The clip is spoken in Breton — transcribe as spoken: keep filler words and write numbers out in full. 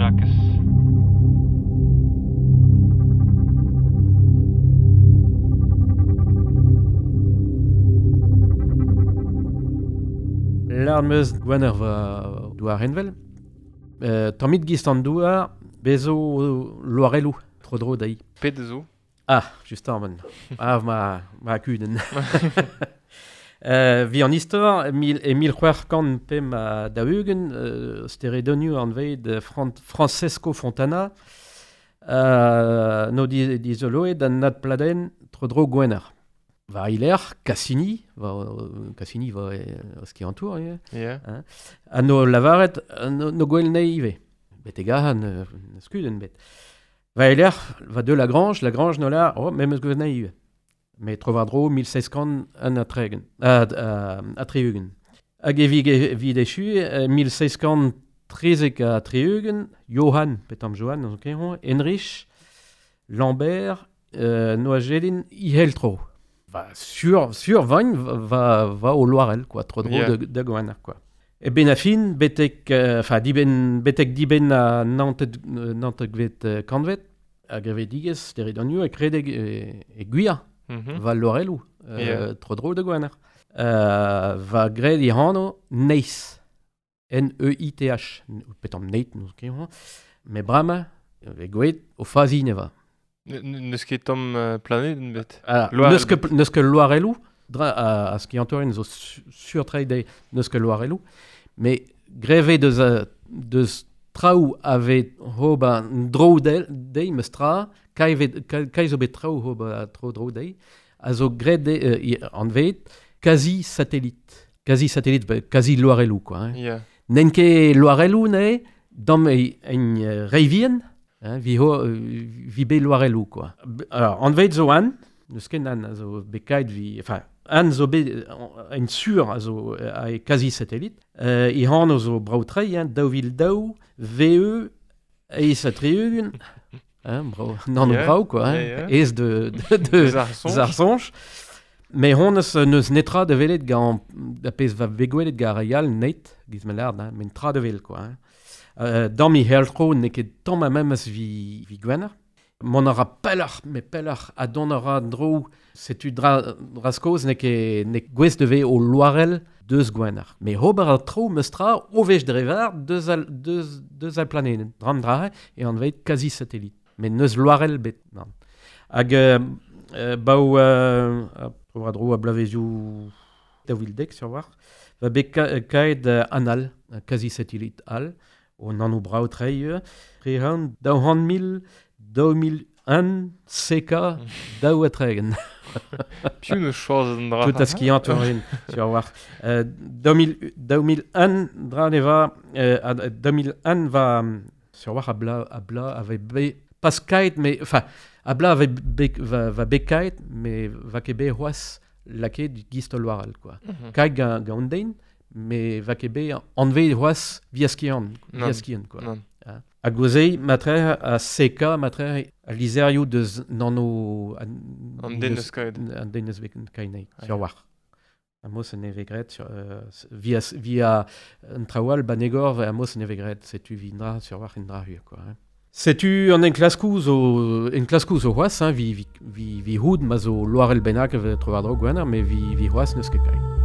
Jakez. Lard meus gwener va douar henvel. Euh, tammit gist an douar, bezo loarelou, tro dro dai. Pet zo? Ah, just ar Ah, ma, ma kudenn. euh, vi an istor, mil, e mil c'hwec'h kant pemp ha daou-ugent, euh, steredonioù anvet Fran- Francesco Fontana, euh, no di, dizoloet an nad pladen tro dro gwener. Va iler, Cassini, va, Cassini va e, ski an tour, yeah. Yeah. Hein. Ha no lavaret, no, no gwell nei ive. Bet e gahan, euh, skuden bet. Va iler, va de Lagrange, Lagrange no la, oh, mem eus gwell nei ive. Me tro war dro mil seizh kant un ha tregont, a, a, a tri-ugent. Hag e vi, vi dechu, mil seizh kant trizek ha tri-ugent, Johann, petam Johann, on ket Heinrich, Lambert, euh, no a gelin, iheltro. Va sur, sur vain va, va o loarel, quoi, tro dro Yeah. de, de gwener, quoi. E ben a fin, betek, enfin, euh, diben, betek diben a nantet, nantet gvet euh, kantvet, a grevedigez, steredonioù, e kredeg e, e gwir, Mm -hmm. va lorelou, euh, Yeah. tro dro de gwener. Euh, va gred i hano Neith, N E I T H, petam Neith, nous ket, me brama, e gweet, o fazi ne va. N'eus ket tamm uh, planeden bet. Ah, Loarel neus ket, neus ket loarelou, dra, a, a skiantorin zo su, sur trei neus ket loarelou, me greve deus, a, deus traoù ave hoba dro del, dei meus tra, kai, ve, kai, kai zo bet traoù hoba tro dro dei, a zo gred de, euh, anvet quasi satellite. Quasi satellite, ba, quasi loarelou, quoi. Hein. Yeah. N'en ket loarelou ne, dam e, en euh, reivien, hein, vi, ho, vi be loarelou, quoi. Alors, anvet zo an, neus ket an a zo bet vi, enfin, an zo bet, en sur a zo a e quasi satellite, euh, i han zo brao trei, hein, daou vil daou, V E, eiz ha tri-ugent, hein, brao, nan Yeah, brao, quoi, hein, yeah, yeah. ez de, de, de, Deus ar soñj. ar soñj. Me hon eus neus netra da welet gant, da pezh va begwelet gant ar yal net, giz me lard, hein, men tra da wel, quoi, hein. Euh, dam i heltro n'eo ket tamm a memes vi, vi gwener. Mon a ra pelloc'h, me pelloc'h a don a ra dro, setu dra, dra skoz n'eo ket n'eo gwez de ve o loarel deus gwener. Me ober a tro meus tra o vech drevar deus al, deus, deus al planeden. Dram dra e anvet quasi satellite. Me neus loarel bet, nan. Hag euh, euh, baou euh, a, a dro a blavezioù daou vil dek sur war, va bet ka, kaet euh, anal, quasi satellite al, o nano brao trei, tre han daou han mil, daou mil un C K daou ha tregent. Piv neus choazet an dra. Tout a skiant orin, sur war. Euh, daou mil, daou mil un dra ne va, euh, a, daou mil un va, sur war a bla, a bla ave be, pas kaet, mais, enfin, a bla ave be, va, va be kaet, mais va ket be c'hoazh lakaet gist loarel, quoi. Mm -hmm. Kaet gant, gant den, mais va ket be anvet c'hoazh via skiant, via skiant, quoi. Non. Ah. A gozei, matre, a C K, matre, a lizerioù deus nano... An den eus kaet. An den eus kaet, sur war. A mos en eve gret, sur, euh, via, via un traoù banegor, a mos en eve gret, setu vi ndra, sur war, ndra hur, quoi. Hein. Setu an enklaskoù zo, enklaskoù zo c'hoazh, hein, vi, vi, vi, vi houd ma zo loarel bennak tro war dro gwener, mais vi, vi c'hoazh n'eus ket kaet.